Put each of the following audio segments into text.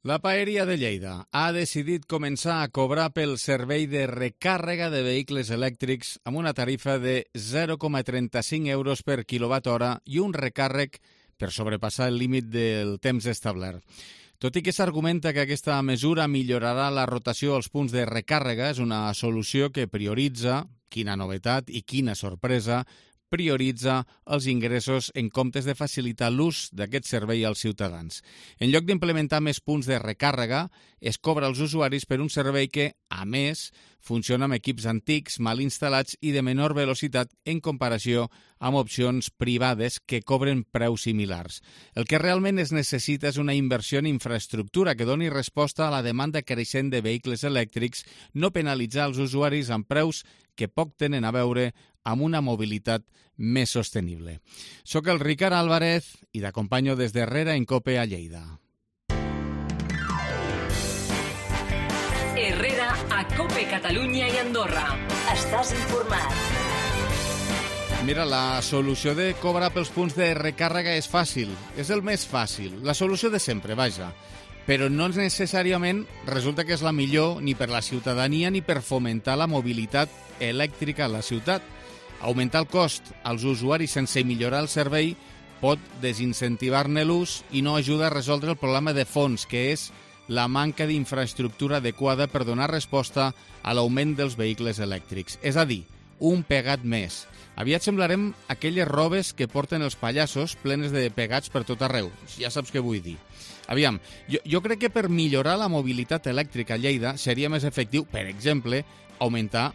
La Paeria de Lleida ha decidit començar a cobrar pel servei de recàrrega de vehicles elèctrics amb una tarifa de 0,35 euros per quilowatt-hora i un recàrrec per sobrepassar el límit del temps establert. Tot i que s'argumenta que aquesta mesura millorarà la rotació als punts de recàrrega, és una solució que prioritza, quina novetat i quina sorpresa, prioritza els ingressos en comptes de facilitar l'ús d'aquest servei als ciutadans. En lloc d'implementar més punts de recàrrega, es cobra als usuaris per un servei que, a més, funciona amb equips antics, mal instal·lats i de menor velocitat en comparació amb opcions privades que cobren preus similars. El que realment es necessita és una inversió en infraestructura que doni resposta a la demanda creixent de vehicles elèctrics, no penalitzar els usuaris amb preus que poc tenen a veure amb una mobilitat més sostenible. Soc el Ricard Álvarez i t'acompanyo des d'Herrera en Cope a Lleida. Herrera a Cope Catalunya i Andorra. Estàs informat. Mira, la solució de cobrar pels punts de recàrrega és fàcil. És el més fàcil. La solució de sempre, vaja. Però no necessàriament resulta que és la millor ni per la ciutadania ni per fomentar la mobilitat elèctrica a la ciutat. Augmentar el cost als usuaris sense millorar el servei pot desincentivar-ne l'ús i no ajuda a resoldre el problema de fons, que és la manca d'infraestructura adequada per donar resposta a l'augment dels vehicles elèctrics. És a dir, un pegat més. Aviat semblarem aquelles robes que porten els pallassos plenes de pegats per tot arreu. Ja saps què vull dir. Aviam, jo crec que per millorar la mobilitat elèctrica a Lleida seria més efectiu, per exemple, augmentar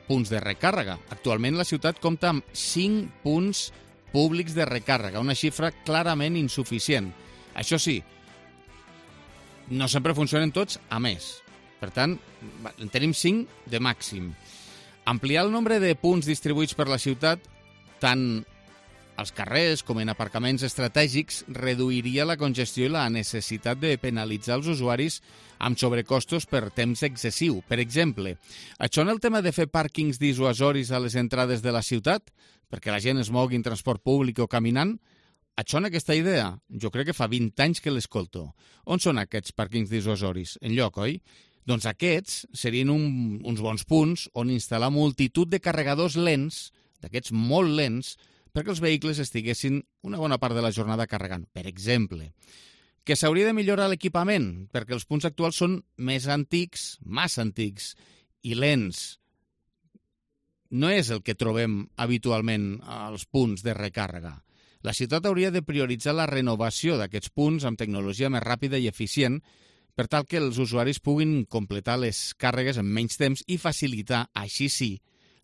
punts de recàrrega. Actualment la ciutat compta amb 5 punts públics de recàrrega, una xifra clarament insuficient. Això sí, no sempre funcionen tots a més. Per tant, en tenim 5 de màxim. Ampliar el nombre de punts distribuïts per la ciutat, tant als carrers com en aparcaments estratègics, reduiria la congestió i la necessitat de penalitzar els usuaris amb sobrecostos per temps excessiu. Per exemple, això en el tema de fer pàrquings dissuasoris a les entrades de la ciutat, perquè la gent es mogui en transport públic o caminant, això en aquesta idea, jo crec que fa 20 anys que l'escolto. On són aquests pàrquings dissuasoris? Enlloc, oi? Doncs aquests serien uns bons punts on instal·lar multitud de carregadors lents, d'aquests molt lents, perquè els vehicles estiguessin una bona part de la jornada carregant. Per exemple, que s'hauria de millorar l'equipament, perquè els punts actuals són més antics, massa antics i lents. No és el que trobem habitualment als punts de recàrrega. La ciutat hauria de prioritzar la renovació d'aquests punts amb tecnologia més ràpida i eficient per tal que els usuaris puguin completar les càrregues en menys temps i facilitar, així sí,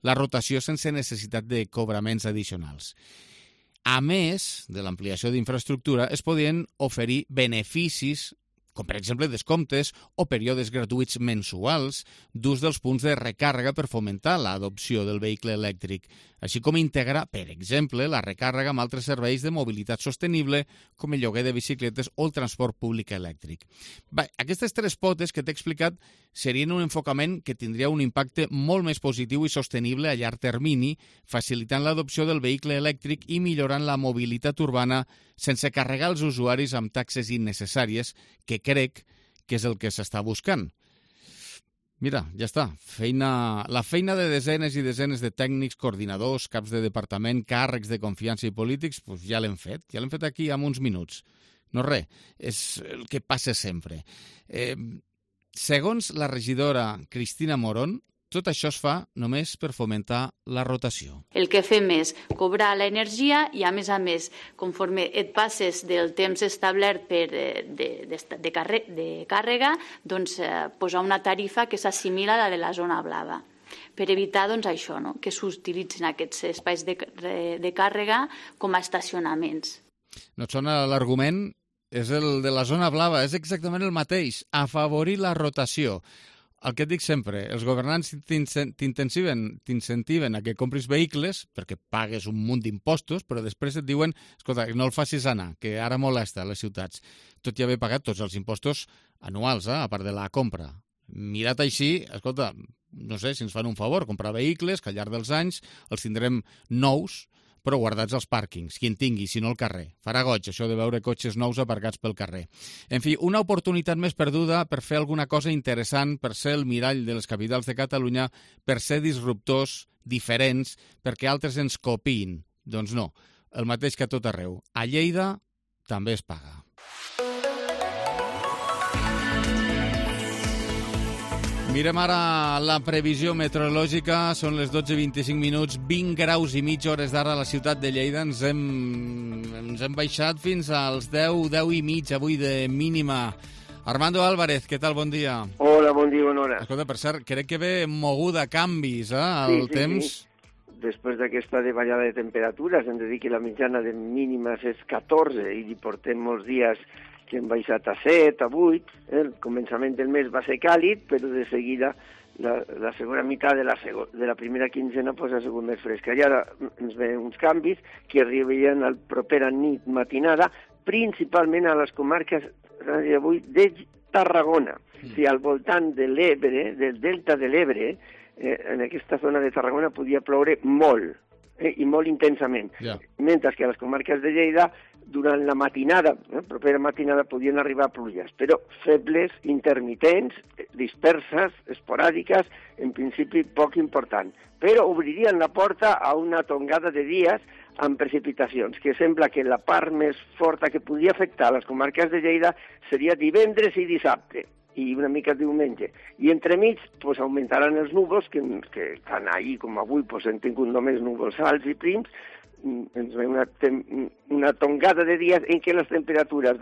la rotació sense necessitat de cobraments addicionals. A més de l'ampliació d'infraestructura, es podien oferir beneficis, com per exemple descomptes o períodes gratuïts mensuals d'ús dels punts de recàrrega per fomentar l'adopció del vehicle elèctric, així com integrar, per exemple, la recàrrega amb altres serveis de mobilitat sostenible, com el lloguer de bicicletes o el transport públic elèctric. Bé, aquestes 3 potes que t'he explicat serien un enfocament que tindria un impacte molt més positiu i sostenible a llarg termini, facilitant l'adopció del vehicle elèctric i millorant la mobilitat urbana sense carregar els usuaris amb taxes innecessàries, que crec que és el que s'està buscant. Mira, ja està. La feina de desenes i desenes de tècnics, coordinadors, caps de departament, càrrecs de confiança i polítics, doncs ja l'hem fet. Ja l'hem fet aquí en uns minuts. No res, és el que passa sempre. Segons la regidora Cristina Morón, tot això es fa només per fomentar la rotació. El que fem és cobrar l'energia i, a més, conforme et passes del temps establert de càrrega, doncs, posar una tarifa que s'assimila a la de la zona blava, per evitar doncs, això, no? Que s'utilitzin aquests espais de càrrega com a estacionaments. No et sona l'argument? És el de la zona blava, és exactament el mateix, afavorir la rotació. El que et dic sempre, els governants t'incentiven a que compris vehicles perquè pagues un munt d'impostos, però després et diuen, escolta, no el facis anar, que ara molesta a les ciutats, tot i haver pagat tots els impostos anuals, a part de la compra. Mirat així, escolta, no sé si ens fan un favor, comprar vehicles que al llarg dels anys els tindrem nous, però guardats als pàrquings, qui en tingui, si no al carrer. Farà goig, això de veure cotxes nous aparcats pel carrer. En fi, una oportunitat més perduda per fer alguna cosa interessant, per ser el mirall de les capitals de Catalunya, per ser disruptors, diferents, perquè altres ens copiïn. Doncs no, el mateix que a tot arreu. A Lleida també es paga. Mirem ara la previsió meteorològica. Són les 12:25 minuts, 20 graus i mig hores d'ara a la ciutat de Lleida. Ens hem baixat fins als 10 i mig avui de mínima. Armando Álvarez, què tal? Bon dia. Hola, bon dia, bona hora. Escolta, per cert, crec que ve moguda canvis, el temps. Sí. Després d'aquesta davallada de temperatures, hem de dir que la mitjana de mínimes és 14 i portem molts dies que hem baixat a 7, a 8. El començament del mes va ser càlid, però de seguida la segona meitat de la primera quinzena ha sigut més fresca. I ara ens ven uns canvis que arribarien a la propera nit matinada, principalment a les comarques d'avui de Tarragona. O sigui, al voltant de l'Ebre, del delta de l'Ebre, en aquesta zona de Tarragona podia ploure molt, i molt intensament. Yeah. Mentre que a les comarques de Lleida, durant la matinada, propera matinada, podien arribar pluges, però febles, intermitents, disperses, esporàdiques, en principi poc important. Però obririen la porta a una tongada de dies amb precipitacions, que sembla que la part més forta que podia afectar les comarques de Lleida seria divendres i dissabte, i una mica diumenge. I entremig augmentaran els núvols, que tant ahir com avui hem tingut només núvols alts i prims. Ens ve una tongada de dies en què les temperatures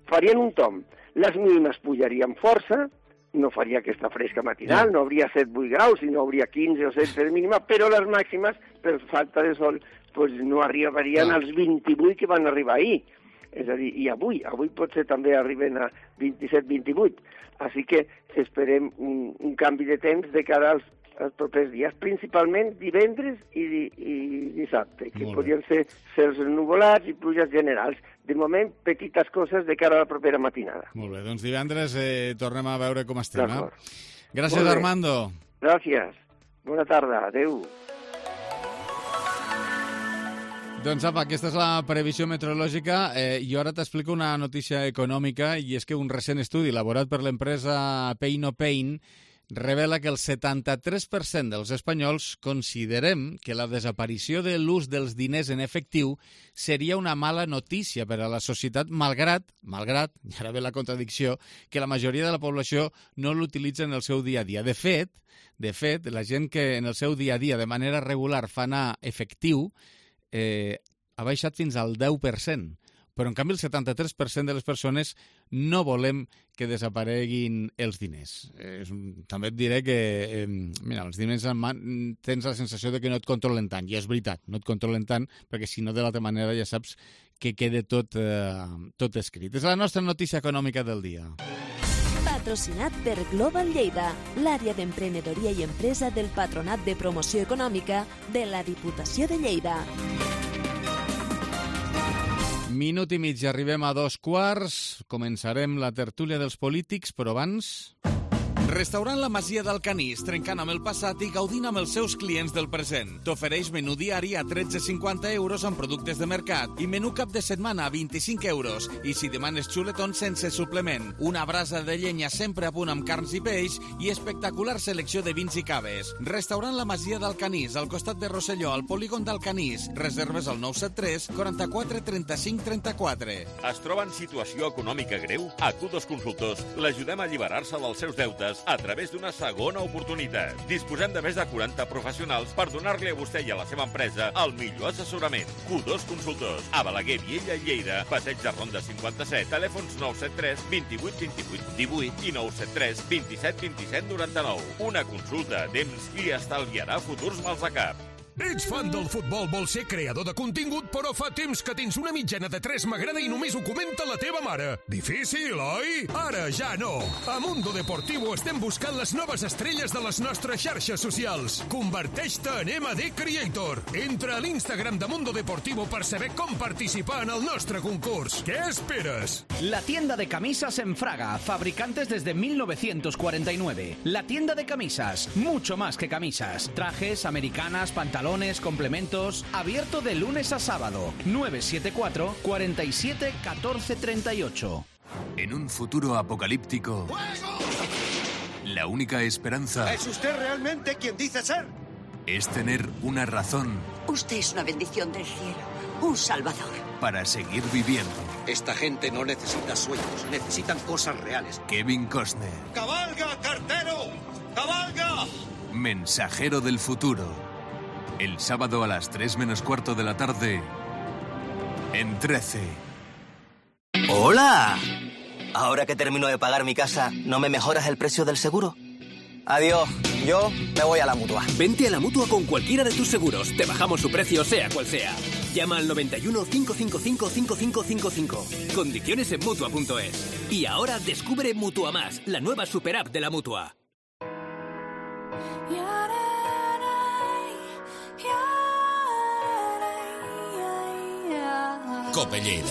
farien un tomb. Les mínimes pujarien força, no faria aquesta fresca matinal, no hauria 7-8 graus, sinó hauria 15 o 16 de mínima, però les màximes, per falta de sol, no arribarien als 28 que van arribar ahir. És a dir, i avui potser també arriben a 27-28. Així que esperem un canvi de temps de cara als propers dies, principalment divendres i dissabte, que podrien ser cels ennuvolats i pluges generals. De moment, petites coses de cara a la propera matinada. Molt bé, doncs divendres tornem a veure com estem. Gràcies, Molt bé. Armando. Gràcies. Bona tarda. Adéu. Doncs apa, aquesta és la previsió meteorològica. Jo ara t'explico una notícia econòmica, i és que un recent estudi elaborat per l'empresa Pay No Pain revela que el 73% dels espanyols considerem que la desaparició de l'ús dels diners en efectiu seria una mala notícia per a la societat, malgrat, i ara ve la contradicció, que la majoria de la població no l'utilitza en el seu dia a dia. De fet, la gent que en el seu dia a dia de manera regular fa anar efectiu ha baixat fins al 10%. Però, en canvi, el 73% de les persones no volem que desapareguin els diners. També et diré que, els diners en mà tens la sensació de que no et controlen tant, i és veritat, no et controlen tant, perquè si no, de l'altra manera ja saps que queda tot escrit. És la nostra notícia econòmica del dia. Patrocinat per Global Lleida, l'àrea d'emprenedoria i empresa del Patronat de Promoció Econòmica de la Diputació de Lleida. Minut i mig, arribem a 2:15. Començarem la tertúlia dels polítics, però abans... Restaurant La Masia d'Alcanís, trencant amb el passat i gaudint amb els seus clients del present. T'ofereix menú diari a 13,50 euros amb productes de mercat i menú cap de setmana a 25 euros. I si demanes xuletons sense suplement, una brasa de llenya sempre a punt amb carns i peix i espectacular selecció de vins i caves. Restaurant La Masia d'Alcanís, al costat de Rosselló, al polígon d'Alcanís. Reserves al 973 44 35 34. Es troba en situació econòmica greu? A Q2 Consultors l'ajudem a alliberar-se dels seus deutes a través d'una segona oportunitat. Disposem de més de 40 professionals per donar-li a vostè i a la seva empresa el millor assessorament. Q2 Consultors, a Balaguer, Viella i Lleida, Passeig de Ronda 57, telèfons 973 28 28 18 i 973 27 27 99. Una consulta a temps li estalviarà futurs mals de cap. Ets fan del futbol, vols ser creador de contingut, però fa temps que tens una mitjana de 3 m'agrada i només ho comenta la teva mare. Difícil, oi? Ara ja no. A Mundo Deportivo estem buscant les noves estrelles de les nostres xarxes socials. Converteix-te en MD Creator. Entra a l'Instagram de Mundo Deportivo per saber com participar en el nostre concurs. Què esperes? La tienda de camisas en Fraga, fabricantes desde 1949. La tienda de camisas, mucho más que camisas. Trajes, americanas, pantalones, balones, complementos. Abierto de lunes a sábado. 974 47 14 38. En un futuro apocalíptico, la única esperanza... ¿Es usted realmente quien dice ser? Es tener una razón... Usted es una bendición del cielo, un salvador. ...para seguir viviendo. Esta gente no necesita sueños, necesitan cosas reales. Kevin Costner. ¡Cabalga, cartero! ¡Cabalga! Mensajero del futuro. El sábado a las 3 menos cuarto de la tarde, en 13. ¡Hola! Ahora que termino de pagar mi casa, ¿no me mejoras el precio del seguro? Adiós, yo me voy a la Mutua. Vente a la Mutua con cualquiera de tus seguros. Te bajamos su precio, sea cual sea. Llama al 91 555 5555. Condiciones en Mutua.es. Y ahora descubre Mutua Más, la nueva super app de la Mutua. Cope Lleida.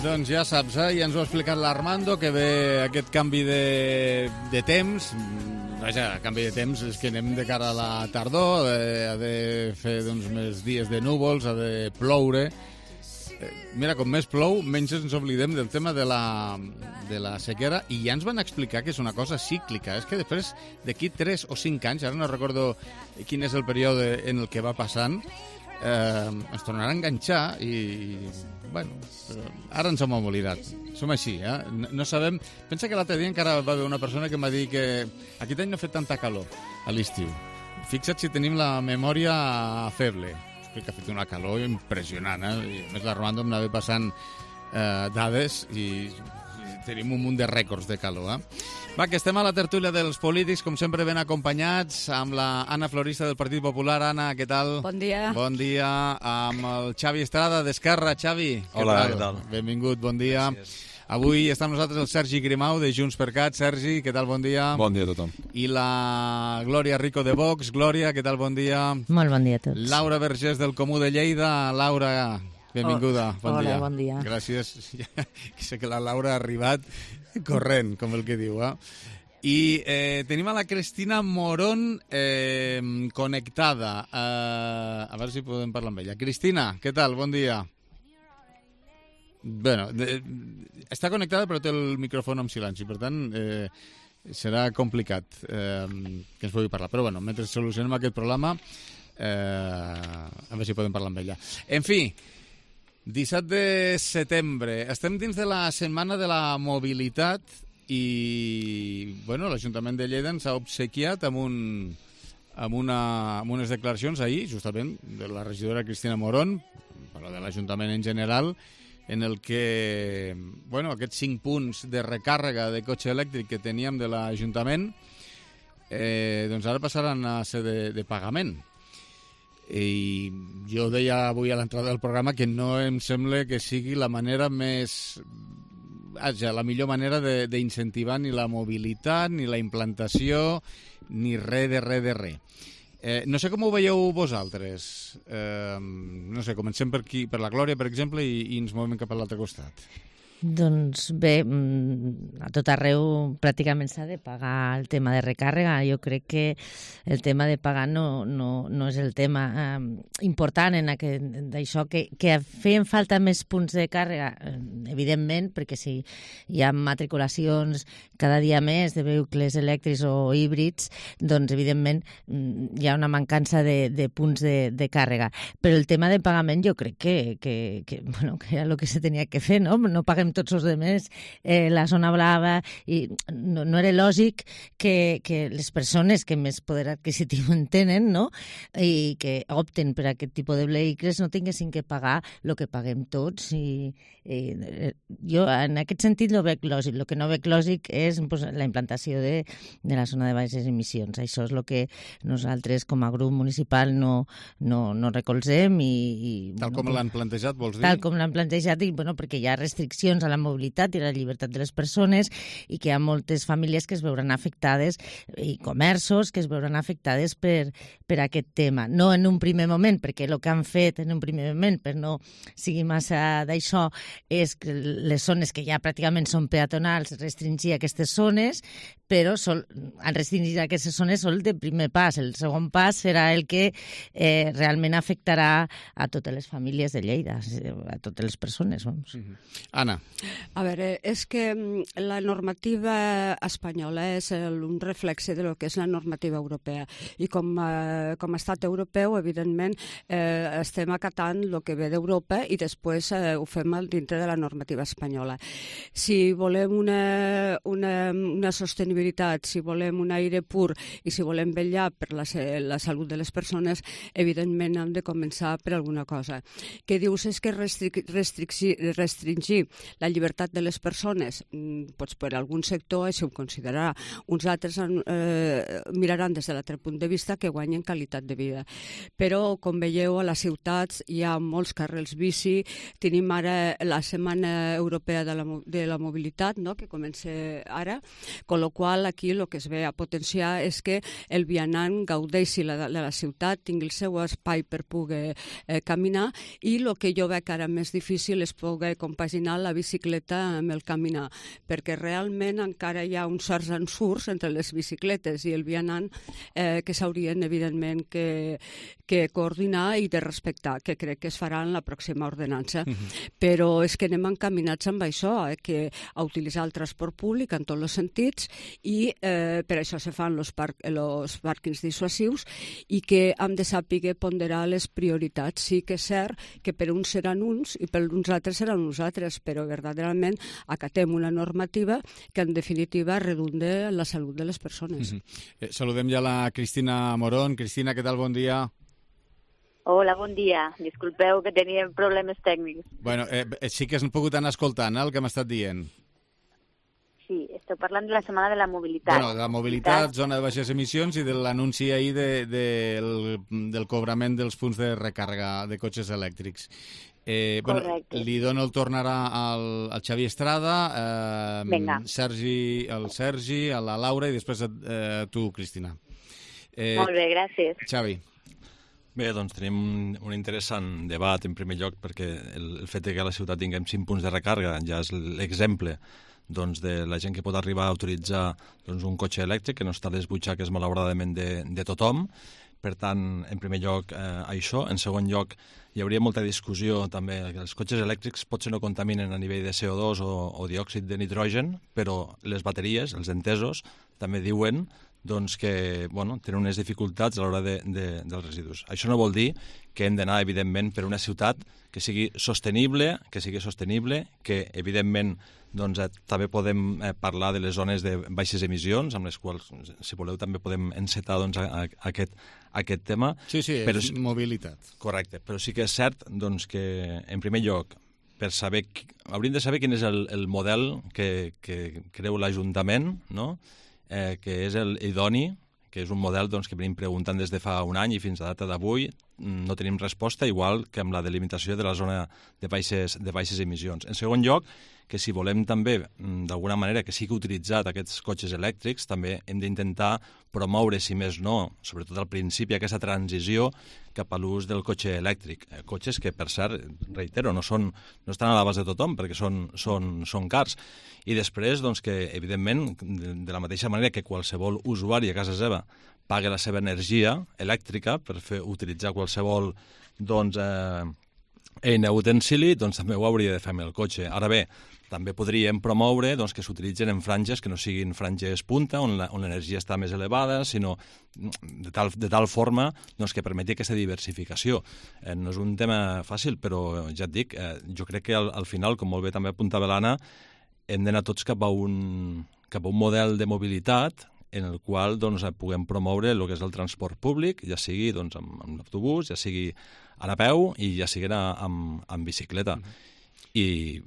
Doncs ja saps, ja ens ho ha explicat l'Armando, que ve aquest canvi de temps. Vaja, canvi de temps és que anem de cara a la tardor, ha de fer més dies de núvols, ha de ploure. Mira, com més plou, menys ens oblidem del tema de la sequera, i ja ens van explicar que és una cosa cíclica. És que després, d'aquí 3 o 5 anys, ara no recordo quin és el període en el que va passant, ens tornarà a enganxar i, bueno, ara ens hem oblidat. Som així, no sabem... Pensa que l'altre dia encara va haver una persona que em va dir que aquest any no ha fet tanta calor a l'estiu. Fixa't si tenim la memòria feble. Crec que ha fet una calor impressionant, I a més l'Armando em anava passant dades i tenim un munt de rècords de calor, Va, que estem a la tertúlia dels polítics, com sempre ben acompanyats, amb la Anna Florista del Partit Popular. Anna, què tal? Bon dia. Bon dia. Amb el Xavi Estrada, d'Esquerra. Xavi, hola, què tal? Benvingut, bon dia. Gràcies. Avui està amb nosaltres el Sergi Grimau, de Junts per Cat. Sergi, què tal? Bon dia. Bon dia a tothom. I la Glòria Rico de Vox. Glòria, què tal? Bon dia. Molt bon dia a tots. Laura Vergés del Comú de Lleida. Laura, benvinguda. Bon dia. Hola, bon dia. Gràcies. Sé que la Laura ha arribat corrent, com el que diu, I tenim a la Cristina Morón connectada. A veure si podem parlar amb ella. Cristina, què tal? Bon dia. Bueno, està connectada però té el micròfon en silenci, per tant serà complicat que ens pugui parlar. Però bueno, mentre solucionem aquest problema, a veure si podem parlar amb ella. En fi, 17 de setembre. Estem dins de la setmana de la mobilitat i bueno, l'Ajuntament de Lleida ens ha obsequiat amb unes declaracions ahir, justament, de la regidora Cristina Morón, però de l'Ajuntament en general, en el que, bueno, aquests 5 punts de recàrrega de cotxe elèctric que teníem de l'Ajuntament, doncs ara passaran a ser de pagament. I jo deia avui a l'entrada del programa que no em sembla que sigui la manera més... la millor manera d'incentivar ni la mobilitat, ni la implantació, ni res de res. No sé com ho veieu vosaltres. No sé, comencem per aquí, per la Glòria, per exemple, i ens movem cap a l'altre costat. Doncs bé, a tot arreu pràcticament s'ha de pagar el tema de recàrrega. Jo crec que el tema de pagar no és el tema important en d'això, que feien falta més punts de càrrega, evidentment, perquè si hi ha matriculacions cada dia més de vehicles elèctrics o híbrids, doncs evidentment hi ha una mancança de punts de càrrega. Però el tema de pagament jo crec que era el que se tenia que fer, no? No paguem tots els altres la zona blava, i no era lògic que les persones que més poder adquisitiu en tenen, no?, i que opten per aquest tipus de vehicles no tinguessin que pagar el que paguem tots. I jo en aquest sentit no veig lògic. El que no veig lògic és la implantació de la zona de baixes emissions. Això és el que nosaltres com a grup municipal no recolzem. Tal com l'han plantejat, vols dir? Tal com l'han plantejat, i perquè hi ha restriccions restriccions a la mobilitat i a la llibertat de les persones i que hi ha moltes famílies que es veuran afectades i comerços que es veuran afectades per aquest tema. No en un primer moment, perquè el que han fet en un primer moment, per no sigui massa d'això, és que les zones que ja pràcticament són peatonals, restringir aquestes zones, però en restringir aquestes zones sol de primer pas. El segon pas serà el que realment afectarà a totes les famílies de Lleida, a totes les persones. Anna. A veure, és que la normativa espanyola és un reflexe de lo que és la normativa europea i com a estat europeu, evidentment, estem acatant el que ve d'Europa i després ho fem dintre de la normativa espanyola. Si volem una sostenibilitat, si volem un aire pur i si volem vetllar per la salut de les persones, evidentment hem de començar per alguna cosa. Què dius és que restringir la llibertat de les persones, doncs per algun sector això ho considerarà. Uns altres miraran des de l'altre punt de vista que guanyen qualitat de vida. Però, com veieu, a les ciutats hi ha molts carrils bici. Tenim ara la Setmana Europea de la Mobilitat, que comença ara, con lo qual aquí el que es ve a potenciar és que el vianant gaudeixi de la ciutat, tingui el seu espai per poder caminar i el que jo veig ara més difícil és poder compaginar la bicicleta amb el caminar, perquè realment encara hi ha uns certs ensurs entre les bicicletes i el vianant que s'haurien, evidentment, que coordinar i de respectar, que crec que es farà en la pròxima ordenança. Però és que anem encaminats amb això, que a utilitzar el transport públic en tots els sentits i per això se fan els pàrquings dissuasius i que hem de saber ponderar les prioritats. Sí que és cert que per uns seran uns i per uns altres seran uns altres, però verdaderament acatem una normativa que en definitiva redunde en la salut de les persones. Saludem ja la Cristina Morón. Cristina, què tal? Bon dia. Hola, bon dia. Disculpeu que teníem problemes tècnics. Bueno, sí que has pogut anar escoltant el que m'ha estat dient. Sí, esteu parlant de la Setmana de la Mobilitat. Bueno, de la mobilitat, zona de baixes emissions i de l'anunci ahir del cobrament dels punts de recàrrega de cotxes elèctrics. Correcte. Li dono el torn ara al Xavi Estrada, el Sergi, a la Laura i després a tu, Cristina. Molt bé, gràcies. Xavi. Bé, doncs tenim un interessant debat en primer lloc perquè el fet que a la ciutat tinguem 5 punts de recàrrega ja és l'exemple de la gent que pot arribar a utilitzar un cotxe elèctric que no està a les butxaques malauradament de tothom. Per tant, en primer lloc, això. En segon lloc, hi hauria molta discussió també. Els cotxes elèctrics potser no contaminen a nivell de CO2 o diòxid de nitrogen, però les bateries, els entesos, també diuen que tenen unes dificultats a l'hora dels residus. Això no vol dir que hem d'anar, evidentment, per una ciutat que sigui sostenible, que, evidentment, també podem parlar de les zones de baixes emissions, amb les quals, si voleu, també podem encetar aquest tema. Sí, és mobilitat. Correcte, però sí que és cert que, en primer lloc, hauríem de saber quin és el model que creu l'Ajuntament, que és l'idoni, que és un model que venim preguntant des de fa un any i fins a data d'avui no tenim resposta, igual que amb la delimitació de la zona de baixes emissions. En segon lloc, que si volem també, d'alguna manera, que sigui utilitzat aquests cotxes elèctrics, també hem d'intentar promoure, si més no, sobretot al principi, aquesta transició cap a l'ús del cotxe elèctric. Cotxes que, per cert, reitero, no estan a l'abast de tothom, perquè són cars. I després, que, evidentment, de la mateixa manera que qualsevol usuari a casa seva paga la seva energia elèctrica per utilitzar qualsevol eina o utensili, també ho hauria de fer amb el cotxe. Ara bé, també podríem promoure que s'utilitzen en franges que no siguin franges punta, on l'energia està més elevada, sinó de tal forma que permeti aquesta diversificació. No és un tema fàcil, però ja et dic, jo crec que al final, com molt bé també apuntava l'Anna, hem d'anar tots cap a un model de mobilitat en el qual puguem promoure el que és el transport públic, ja sigui amb l'autobús, ja sigui a peu i ja sigui amb bicicleta. I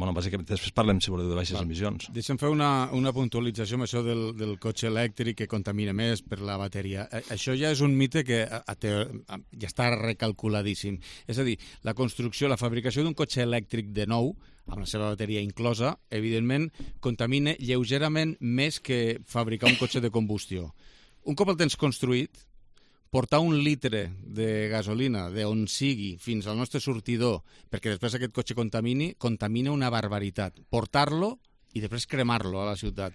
Bueno, bàsicament, després parlem, si voleu, de baixes emissions. Deixa'm fer una puntualització amb això del cotxe elèctric que contamina més per la bateria. Això ja és un mite que ja està recalculadíssim. És a dir, la construcció, la fabricació d'un cotxe elèctric de nou, amb la seva bateria inclosa, evidentment, contamina lleugerament més que fabricar un cotxe de combustió. Un cop el tens construït, portar un litre de gasolina d'on sigui fins al nostre sortidor perquè després aquest cotxe contamina una barbaritat. Portar-lo i després cremar-lo a la ciutat.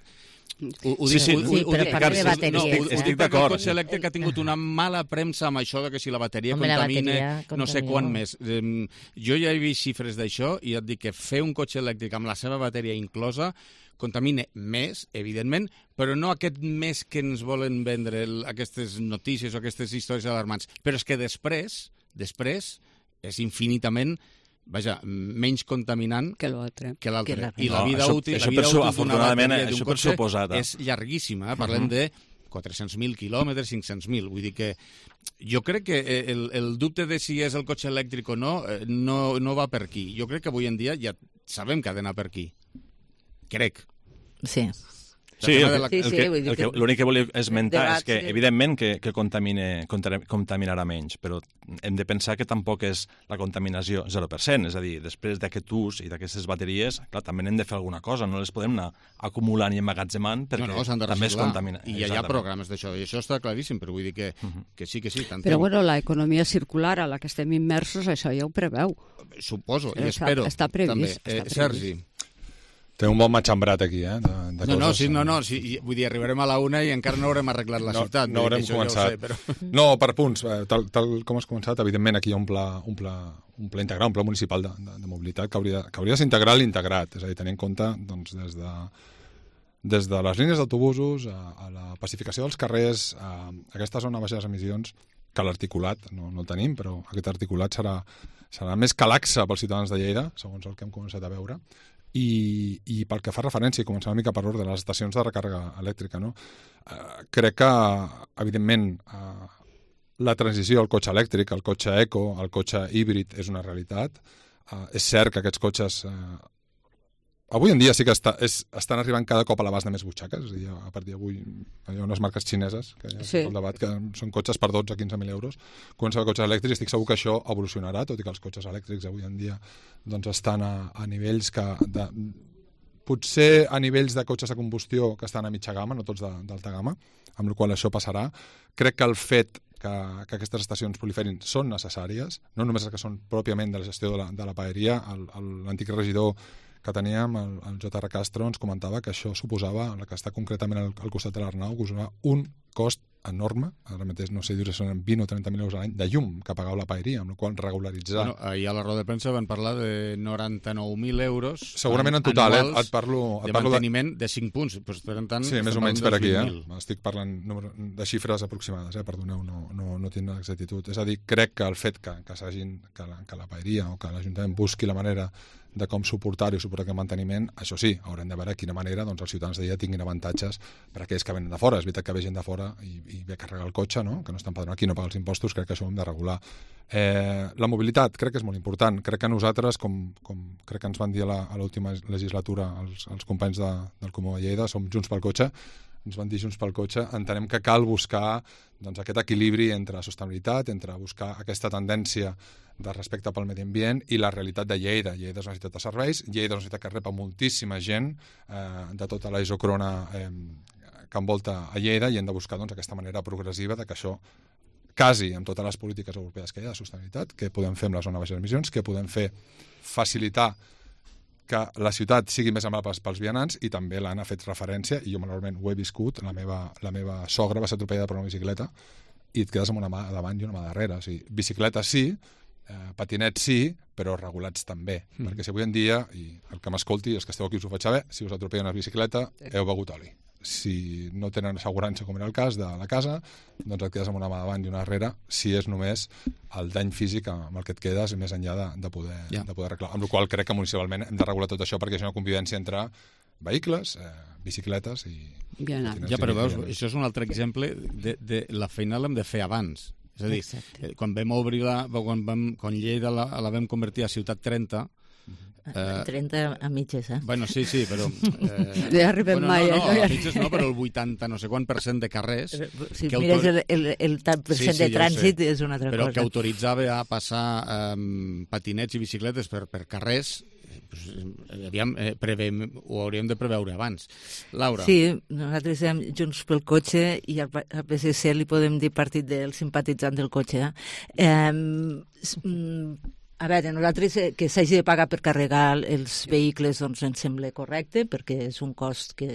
Però parla de bateries. Estic d'acord. El cotxe elèctric ha tingut una mala premsa amb això de que si la bateria contamina no sé quant més. Jo ja he vist xifres d'això i et dic que fer un cotxe elèctric amb la seva bateria inclosa contamina més, evidentment, però no aquest més que ens volen vendre aquestes notícies o aquestes històries alarmants. Però és que després és infinitament menys contaminant que l'altre. I la vida útil d'una bateria d'un cotxe és llarguíssima. Parlem de 400.000 quilòmetres, 500.000. Vull dir que jo crec que el dubte de si és el cotxe elèctric o no va per aquí. Jo crec que avui en dia ja sabem que ha d'anar per aquí. Crec. Sí. L'únic que volia esmentar és que, evidentment, que contaminarà menys, però hem de pensar que tampoc és la contaminació 0%, és a dir, després d'aquest ús i d'aquestes bateries, clar, també n'hem de fer alguna cosa, no les podem anar acumulant i emmagatzemant perquè també es contamina. I hi ha programes d'això, i això està claríssim, però vull dir que sí. Però bueno, l'economia circular a la que estem immersos, això ja ho preveu. Suposo, i espero. Està previst. Sergi. Té un bon matxembrat aquí, vull dir, arribarem a la 1 i encara no haurem arreglat la ciutat. No haurem començat. No, per punts, tal com has començat, evidentment aquí hi ha un pla integral, un pla municipal de mobilitat que hauria de ser integral i integrat, és a dir, tenir en compte des de les línies d'autobusos a la pacificació dels carrers, a aquesta zona de baixes emissions, que l'articulat, no el tenim, però aquest articulat serà més que laxa pels ciutadans de Lleida, segons el que hem començat a veure, i pel que fa referència, i començant una mica per ordre, les estacions de recàrrega elèctrica, no? Crec que, evidentment, la transició al cotxe elèctric, al cotxe eco, al cotxe híbrid és una realitat. És cert que aquests cotxes avui en dia sí que estan arribant cada cop a l'abast de més butxaques, és a dir, a partir d'avui hi ha unes marques xineses que hi ha el debat que són cotxes per 12 o 15.000 euros. Comença a cotxes elèctrics, estic segur que això evolucionarà, tot i que els cotxes elèctrics avui en dia doncs estan a nivells potser a nivells de cotxes de combustió que estan a mitja gamma, no tots d'alta gamma, amb la qual això passarà. Crec que el fet que aquestes estacions proliferin són necessàries, no només que són pròpiament de la gestió de la paeria. L'antic regidor que teníem, el J.R. Castro, ens comentava que això suposava, el que està concretament al costat de l'Arnau, suposava un cost enorme, ara mateix no sé dir si són 20 o 30.000 euros a l'any, de llum que pagava la paeria, amb la qual regularitzar... Ahir a la roda de premsa van parlar de 99.000 euros segurament en total, et parlo de manteniment de 5 punts. Pues, per tant, sí, més o menys per aquí. Estic parlant de xifres aproximades, perdoneu, no tinc l'exactitud. És a dir, crec que el fet que la paeria o que l'Ajuntament busqui la manera de com suportar-ho i suportar aquest manteniment, això sí, haurem de veure de quina manera els ciutadans d'allà tinguin avantatges per aquells que venen de fora. És veritat que ve gent de fora i ve a carregar el cotxe, no? Que no està empadronat aquí, no paga els impostos, crec que això ho hem de regular. La mobilitat crec que és molt important. Crec que nosaltres, com crec que ens van dir a l'última legislatura els companys del Comú de Lleida, som Junts pel Cotxe, ens van dir Junts pel Cotxe, entenem que cal buscar aquest equilibri entre sostenibilitat, entre buscar aquesta tendència de respecte pel medi ambient i la realitat de Lleida. Lleida és una ciutat de serveis, Lleida és una ciutat que rep a moltíssima gent de tota la isòcrona que envolta a Lleida i hem de buscar aquesta manera progressiva de que això casi amb totes les polítiques europees que hi ha de sostenibilitat, que podem fer amb la zona de baixes emissions, que podem fer facilitar que la ciutat sigui més amable pels vianants, i també l'Anna ha fet referència, i jo malauradament ho he viscut, la meva sogra va ser atropellada per una bicicleta i et quedes amb una mà davant i una mà darrere. O sigui, bicicleta sí, patinets sí, però regulats també. Perquè si avui en dia, i el que m'escolti, els que esteu aquí us ho faig saber, si us atropella una bicicleta, heu begut oli. Si no tenen assegurança, com era el cas de la casa, doncs et quedes amb una mà davant i una darrere, si és només el dany físic amb el que et quedes, més enllà de poder arreglar. Amb la qual crec que municipalment hem de regular tot això perquè és una convivència entre vehicles, bicicletes i... Ja, però veus, això és un altre exemple de la feina l'hem de fer abans. És a dir, quan vam obrir quan Lleida la vam convertir a Ciutat 30, 30 a mitges, Bueno, sí, però... No hi arribem mai. No, a mitges no, però el 80 no sé quant % de carrers... Si mires el tant percent de trànsit és una altra cosa. Però que autoritzava a passar patinets i bicicletes per carrers, ho hauríem de preveure abans. Laura. Sí, nosaltres som Junts pel Cotxe i al PSC li podem dir partit del simpatitzant del cotxe. A veure, nosaltres que s'hagi de pagar per carregar els vehicles doncs ens sembla correcte, perquè és un cost que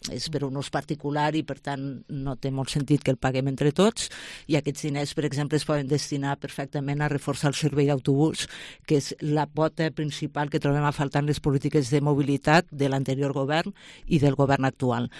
és per un ús particular i per tant no té molt sentit que el paguem entre tots, i aquests diners, per exemple, es poden destinar perfectament a reforçar el servei d'autobús, que és la pota principal que trobem a faltar en les polítiques de mobilitat de l'anterior govern i del govern actual.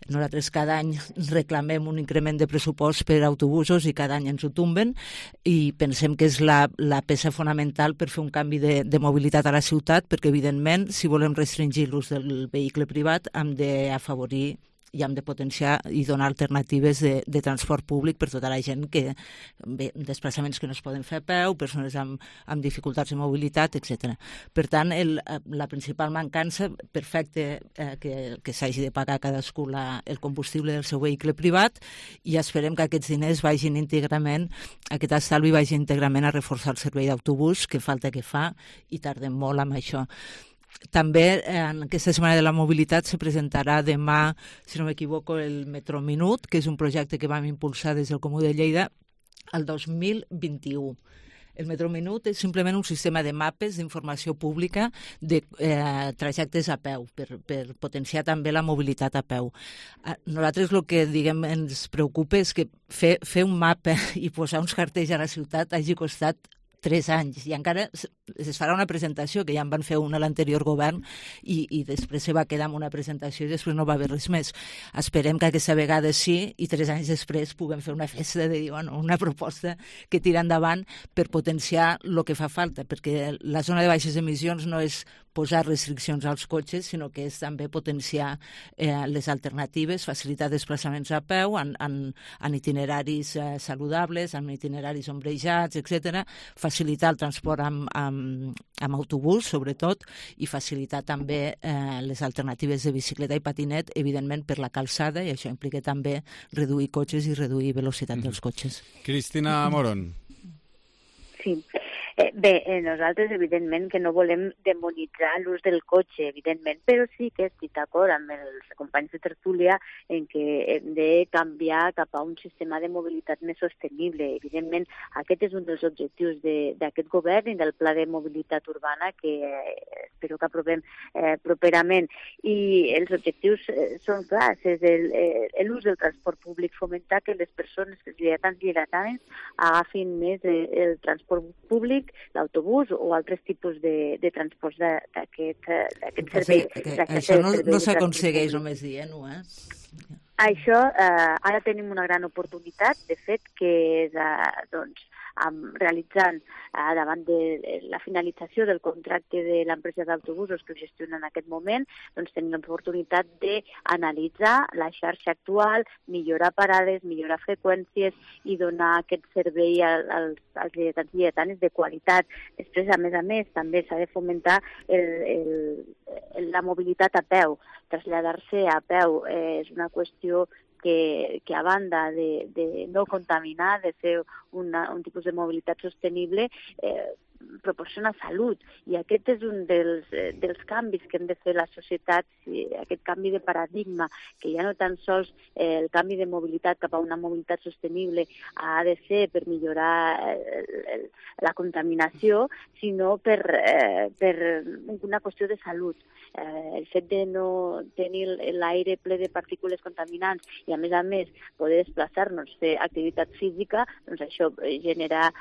Nosaltres cada any reclamem un increment de pressupost per autobusos i cada any ens ho tomben, i pensem que és la peça fonamental per fer un canvi de mobilitat a la ciutat, perquè evidentment si volem restringir l'ús del vehicle privat hem d'afavorir i hem de potenciar i donar alternatives de transport públic per tota la gent que, desplaçaments que no es poden fer a peu, persones amb dificultats de mobilitat, etc. Per tant, la principal mancança, perfecte que s'hagi de pagar cadascú el combustible del seu vehicle privat, i esperem que aquests diners vagin íntegrament, aquest estalvi vagi íntegrament a reforçar el servei d'autobús, que falta que fa, i tardem molt amb això. També en aquesta Setmana de la Mobilitat se presentarà demà, si no m'equivoco, el Metro Minut, que és un projecte que vam impulsar des del Comú de Lleida al 2021. El Metro Minut és simplement un sistema de mapes d'informació pública de trajectes a peu, per potenciar també la mobilitat a peu. Nosaltres el que ens preocupa és que fer un mapa i posar uns cartells a la ciutat hagi costat 3 anys, i encara es farà una presentació, que ja en van fer una a l'anterior govern, i després se va quedar amb una presentació i després no va haver res més. Esperem que aquesta vegada sí, i 3 anys després puguem fer una festa de dir, una proposta que tira endavant per potenciar el que fa falta, perquè la zona de baixes emissions no és posar restriccions als cotxes, sinó que és també potenciar les alternatives, facilitar desplaçaments a peu en itineraris saludables, en itineraris ombrejats, etc., facilitar el transport amb autobús, sobretot, i facilitar també les alternatives de bicicleta i patinet, evidentment per la calçada, i això implica també reduir cotxes i reduir velocitat dels cotxes. Cristina Moron. Sí. Bé, nosaltres evidentment que no volem demonitzar l'ús del cotxe, evidentment, però sí que estic d'acord amb els companys de tertúlia en què hem de canviar cap a un sistema de mobilitat més sostenible. Evidentment, aquest és un dels objectius d'aquest govern i del Pla de Mobilitat Urbana que espero que aprovem properament. I els objectius són clars, és l'ús del transport públic, fomentar que les persones que lleidatans agafin més el transport públic, l'autobús o altres tipus de transports d'aquest servei. Això no s'aconsegueix només dient-ho, Això, ara tenim una gran oportunitat, de fet, que és realitzant davant de la finalització del contracte de l'empresa d'autobusos que ho gestiona en aquest moment, doncs tenim l'oportunitat d'analitzar la xarxa actual, millorar parades, millorar freqüències i donar aquest servei als lleidatans i lleidatanes de qualitat. Després, a més, també s'ha de fomentar la mobilitat a peu. Traslladar-se a peu és una qüestió que a banda de no contaminar, de fer un tipus de mobilitat sostenible, proporciona salut. I aquest és un dels canvis que hem de fer la societat, aquest canvi de paradigma, que ja no tan sols el canvi de mobilitat cap a una mobilitat sostenible ha de ser per millorar la contaminació, sinó per una qüestió de salut. El fet de no tenir l'aire ple de partícules contaminants i, a més, poder desplaçar-nos, fer activitat física, doncs això genera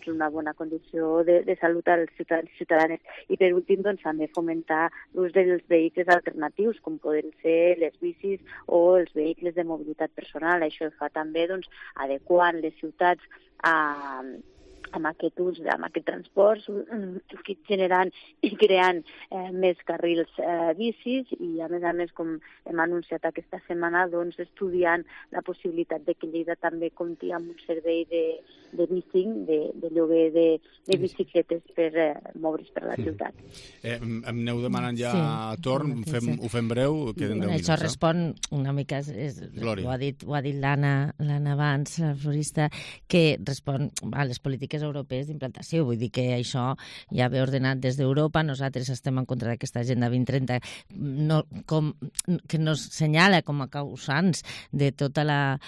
una bona condició de salut als ciutadans i ciutadanes. I, per últim, també fomentar l'ús dels vehicles alternatius, com poden ser les bicis o els vehicles de mobilitat personal. Això fa també adequant les ciutats amb aquest ús, amb aquest transport, generant i creant més carrils bicis i, a més, com hem anunciat aquesta setmana, doncs, estudiant la possibilitat de que Lleida també compti amb un servei de bicing, de lloguer de bicicletes per moure's per la ciutat. Em aneu demanant ja torn, ho fem breu, queden 10 minuts. Això respon una mica, ho ha dit l'Anna abans, la florista, que respon a les polítiques europees d'implantació. Vull dir que això ja ve ordenat des d'Europa. Nosaltres estem en contra d'aquesta Agenda 2030 que nos senyala com a causants de tota la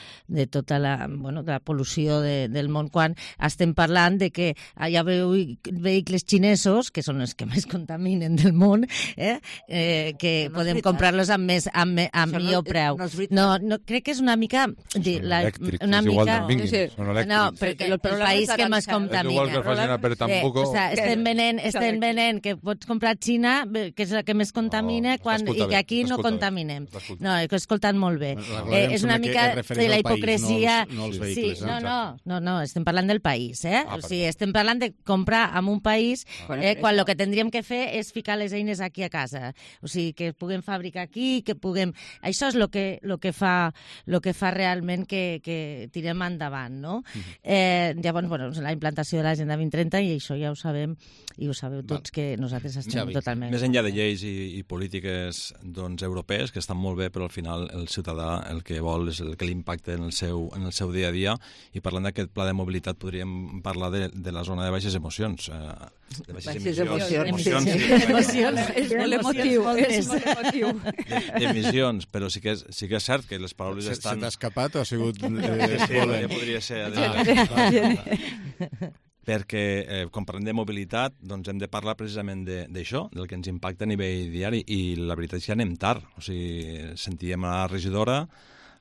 pol·lució del món, quan estem parlant de que hi ha vehicles xinesos, que són els que més contaminen del món, que podem comprar-los amb millor preu. No, crec que és una mica... Elèctrics, és igual d'on vinguin, són elèctrics. No, perquè el país que més contamina. Estem venent que pots comprar Xina, que és la que més contamina, i que aquí no contaminem. No, he escoltat molt bé. És una mica de la hipocresia. No, estem parlant del país. O sigui, estem parlant de comprar en un país quan el que tindríem que fer és ficar les eines aquí a casa. O sigui, que puguem fabricar aquí, que puguem... Això és el que fa realment que tirem endavant, no? Llavors, la implantació de l'Agenda 2030, i això ja ho sabem, i ho sabeu tots, que nosaltres estem totalment... Més enllà de lleis i polítiques europees, que estan molt bé, però al final el ciutadà el que vol és el que l'impacta en el seu dia a dia, i parlant d'aquest pla de mobilitat podríem parlar de la zona de baixes emocions. De baixes emocions. És molt emotiu. D'emissions, però sí que és cert que les paraules estan... Se t'ha escapat o ha sigut... Ja podria ser... Perquè, quan parlem de mobilitat, doncs hem de parlar precisament d'això, del que ens impacta a nivell diari, i la veritat és que anem tard. O sigui, sentíem a la regidora,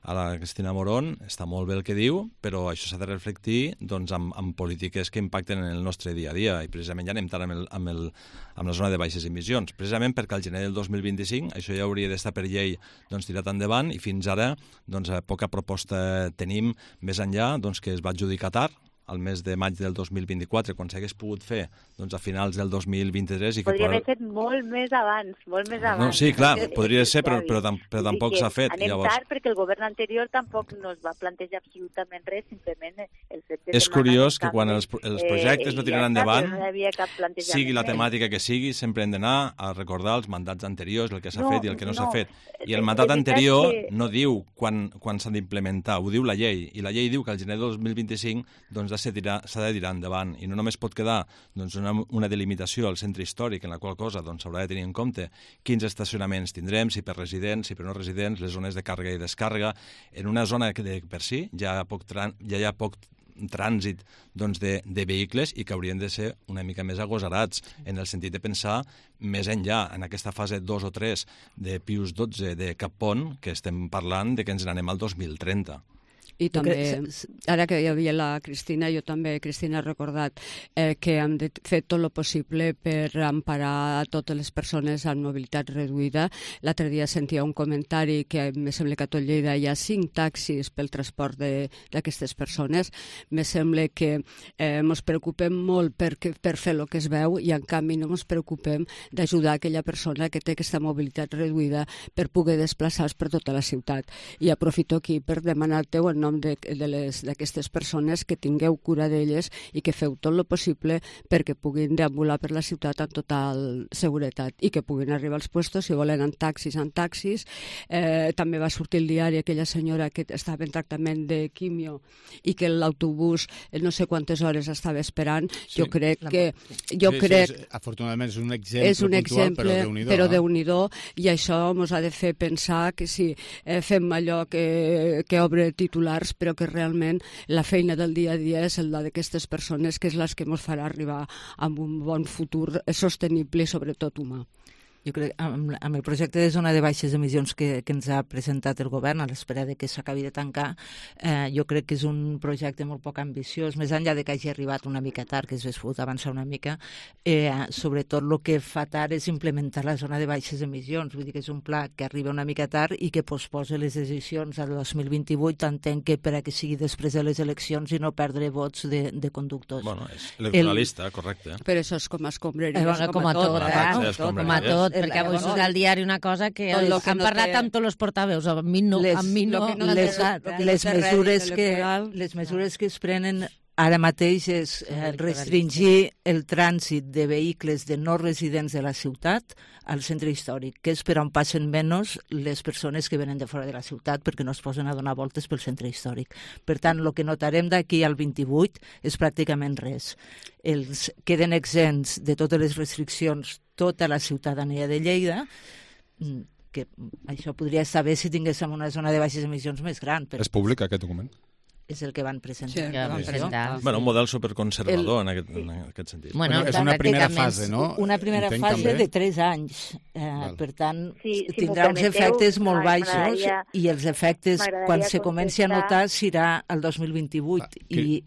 a la Cristina Morón, està molt bé el que diu, però això s'ha de reflectir doncs, amb polítiques que impacten en el nostre dia a dia, i precisament ja anem tard amb la zona de baixes emissions, precisament perquè al gener del 2025 això ja hauria d'estar per llei doncs, tirat endavant, i fins ara doncs, poca proposta tenim més enllà doncs, que es va adjudicar tard, al mes de maig del 2024, quan s'hagués pogut fer doncs, a finals del 2023. Podria haver fet molt més abans. No, sí, clar, podria ser, però tampoc s'ha fet. Anem tard perquè el govern anterior tampoc no es va plantejar absolutament res, simplement el fet de... És curiós que quan els projectes no tiren endavant, sigui la temàtica que sigui, sempre hem d'anar a recordar els mandats anteriors, el que s'ha fet i el que no s'ha fet. I el mandat anterior no diu quan s'ha d'implementar, ho diu la llei, i la llei diu que al gener del 2025 doncs, s'ha de tirar endavant, i no només pot quedar doncs, una delimitació al centre històric, en la qual cosa doncs, s'haurà de tenir en compte quins estacionaments tindrem, si per residents, si per no residents, les zones de càrrega i descàrrega, en una zona que per si ja hi ha poc trànsit doncs, de vehicles, i que haurien de ser una mica més agosarats en el sentit de pensar més enllà, en aquesta fase 2 o 3 de Pius XII de Cap Pont, que estem parlant de que ens n'anem al 2030. I també, ara que hi havia la Cristina, jo també, Cristina, he recordat que hem fet tot el possible per emparar totes les persones amb mobilitat reduïda. L'altre dia sentia un comentari que me sembla que a tot Lleida hi ha 5 taxis pel transport d'aquestes persones. Me sembla que ens preocupem molt per fer el que es veu, i en canvi no ens preocupem d'ajudar aquella persona que té aquesta mobilitat reduïda per poder desplaçar-se per tota la ciutat. I aprofito aquí per demanar-te en nom d'aquestes persones que tingueu cura d'elles i que feu tot el possible perquè puguin deambular per la ciutat amb total seguretat i que puguin arribar als puestos, si volen, en taxis. També va sortir el diari aquella senyora que estava en tractament de quimio i que l'autobús no sé quantes hores estava esperant. Jo crec que... Afortunadament és un exemple puntual, però Déu-n'hi-do, i això ens ha de fer pensar que si fem allò que obre titulars, però que realment la feina del dia a dia és la d'aquestes persones, que és la que ens farà arribar a un bon futur sostenible i sobretot humà. Jo crec que amb el projecte de zona de baixes emissions que ens ha presentat el govern, a l'espera de que s'acabi de tancar, jo crec que és un projecte molt poc ambiciós, més enllà de que hagi arribat una mica tard, que s'hagués pogut avançar una mica, sobretot el que fa tard és implementar la zona de baixes emissions, vull dir que és un pla que arriba una mica tard i que posposa les decisions al 2028, entenc que per a que sigui després de les eleccions i no perdre vots de conductors. Bueno, és electoralista, correcte. Però això és com escombraries, com a tot, perquè avui surt al diari una cosa que han parlat amb tots els portaveus, amb mi no. Les mesures que es prenen ara mateix és restringir el trànsit de vehicles de no residents de la ciutat al centre històric, que és per on passen menys les persones que venen de fora de la ciutat perquè no es posen a donar voltes pel centre històric. Per tant, el que notarem d'aquí al 28 és pràcticament res. Queden exempts de totes les restriccions tota la ciutadania de Lleida, que això podria estar bé si tinguéssim una zona de baixes emissions més gran. És públic aquest document? És el que van presentar. Bueno, un model superconservador en aquest sentit. Bueno, és una primera fase, no? Una primera fase de 3 anys. Per tant, tindrà uns efectes molt baixos i els efectes, quan se comenci a notar, serà el 2028. I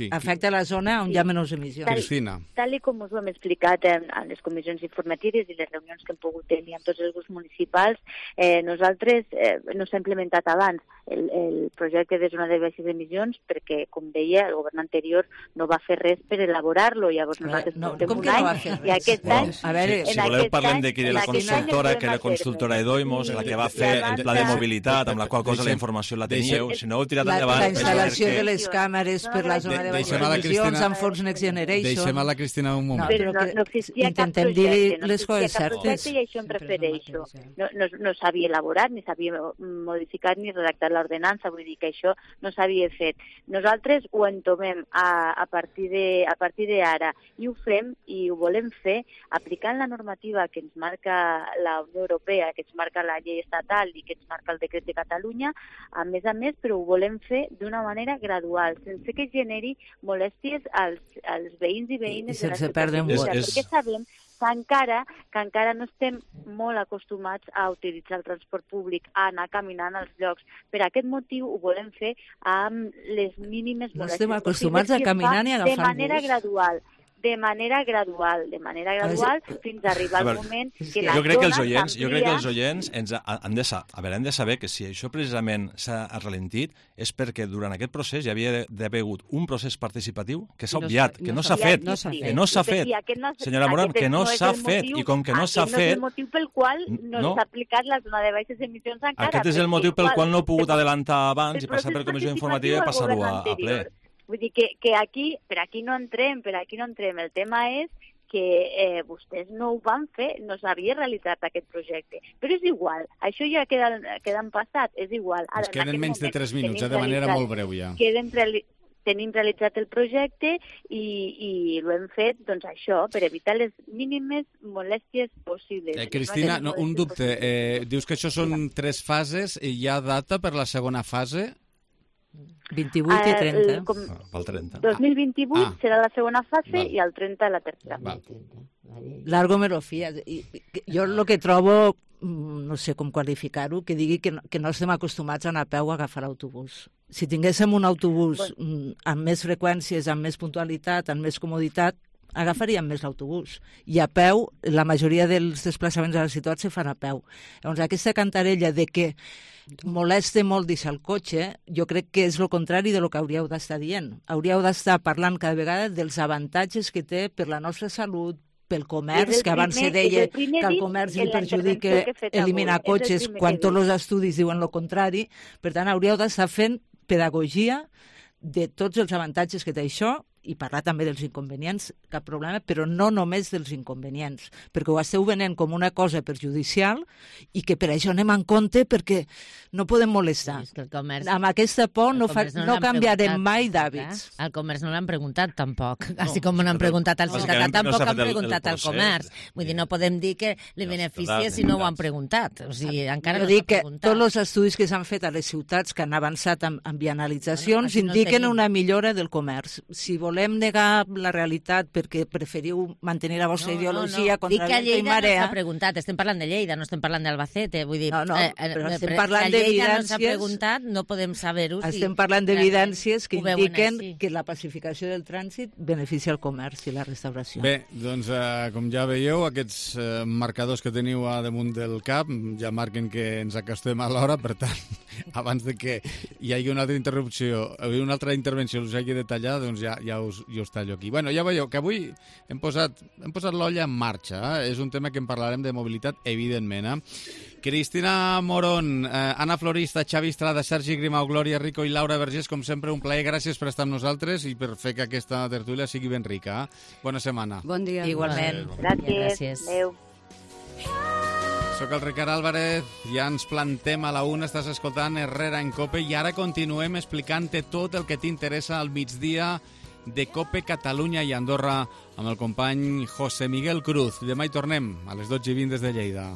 afecta la zona on hi ha menys emissions. Cristina. Tal com us ho hem explicat en les comissions informatives i les reunions que hem pogut tenir amb tots els grups municipals, nosaltres no s'ha implementat abans el projecte de zona de baixes emissions perquè, com deia, el govern anterior no va fer res per elaborar-lo. Llavors nosaltres portem un any i aquest any... Si voleu parlem de la consultora, que era la consultora Edoimos, la que va fer el pla de mobilitat, amb la qual cosa la informació la teníeu. Si no heu tirat endavant... La instal·lació de les càmeres per la zona de baixes emissions amb fons Next Generation. Deixem a la Cristina un moment. Però no existia cap projecte, no existia cap projecte i això em refereixo. No s'havia elaborat, ni s'havia modificat ni redactat l'ordenança, vull dir que això no s'havia fet. Nosaltres ho entomem a partir d'ara i ho fem i ho volem fer aplicant la normativa que ens marca la Unió Europea, que ens marca la llei estatal i que ens marca el decret de Catalunya, a més, però ho volem fer d'una manera gradual, sense que generi molèsties als veïns i veïnes de la ciutat. Perquè sabem que encara no estem molt acostumats a utilitzar el transport públic, a anar caminant als llocs. Per aquest motiu ho volem fer amb les mínimes molèsties. No estem acostumats a caminar ni a agafar bus. De manera gradual, fins a arribar al moment que la jo crec que els oients han de saber que si això precisament s'ha ralentit és perquè durant aquest procés hi havia d'haver hagut un procés participatiu que s'ha obviat, que no s'ha fet. Senyora Moran, que no s'ha fet. I com que no s'ha fet... Aquest no és el motiu pel qual no s'ha aplicat la zona de baixes emissions encara. Aquest és el motiu pel qual no he pogut adelantar abans i passar per comissió informativa i passar-ho a ple. Vull dir que per aquí no entrem. El tema és que vostès no ho van fer, no s'havia realitzat aquest projecte. Però és igual, això ja queda en passat, és igual. Ens queden menys de 3 minuts, de manera molt breu ja. Tenim realitzat el projecte i ho hem fet, doncs això, per evitar les mínimes molèsties possibles. Cristina, un dubte. Dius que això són 3 fases i hi ha data per la segona fase? 28 i 30. Pel 30. 2028 serà la segona fase i el 30 la tercera. Largo me lo fía. Jo el que trobo, no sé com qualificar-ho, que digui que no estem acostumats a anar a peu a agafar l'autobús. Si tinguéssim un autobús amb més freqüències, amb més puntualitat, amb més comoditat, agafaríem més l'autobús. I a peu, la majoria dels desplaçaments a la ciutat se fan a peu. Llavors, aquesta cantarella de que molesta molt deixar el cotxe, jo crec que és el contrari de lo que hauríeu d'estar dient. Hauríeu d'estar parlant cada vegada dels avantatges que té per la nostra salut, pel comerç, que abans se deia que el comerç li perjudica eliminar cotxes, quan tots els estudis diuen el contrari. Per tant, hauríeu d'estar fent pedagogia de tots els avantatges que té això i parlar també dels inconvenients, cap problema, però no només dels inconvenients, perquè ho esteu venent com una cosa perjudicial i que per això anem en compte perquè no podem molestar. Sí, el comerç, amb aquesta por no canviarem mai d'hàbits. Al comerç no l'han preguntat tampoc, així com no han preguntat al ciutadà, tampoc han preguntat al comerç. Vull dir, no podem dir que li beneficia si no ho han preguntat. O sigui, encara no s'han preguntat. Tots els estudis que s'han fet a les ciutats que han avançat amb bianalitzacions indiquen una millora del comerç. Si volem volem negar la realitat perquè preferiu mantenir la vostra ideologia contra Dic que vento i Lleida marea... no s'ha preguntat, estem parlant de Lleida, no estem parlant d'Albacete, vull dir... No, però estem parlant que Lleida no d'evidències... s'ha preguntat, no podem saber-ho. Estem parlant d'evidències que indiquen així. que la pacificació del trànsit beneficia el comerç i la restauració. Bé, doncs, com ja veieu, aquests marcadors que teniu a damunt del cap ja marquen que ens acostem a l'hora, per tant, abans de que hi hagi una altra interrupció, una altra intervenció us hagi de tallar, doncs ja us tallo aquí. Bueno, ja veieu que avui hem posat l'olla en marxa. És un tema que en parlarem de mobilitat, evidentment. Cristina Morón, Anna Florista, Xavi Estrada, Sergi Grimau, Glòria Rico i Laura Vergés, com sempre, un plaer. Gràcies per estar amb nosaltres i per fer que aquesta tertúlia sigui ben rica. Bona setmana. Bon dia. Igualment. Gràcies. Adéu. Soc el Ricard Álvarez, ja ens plantem a la una, estàs escoltant Herrera en COPE i ara continuem explicant-te tot el que t'interessa al migdia de COPE Catalunya i Andorra amb el company José Miguel Cruz. Demà hi tornem a les 12:20 des de Lleida.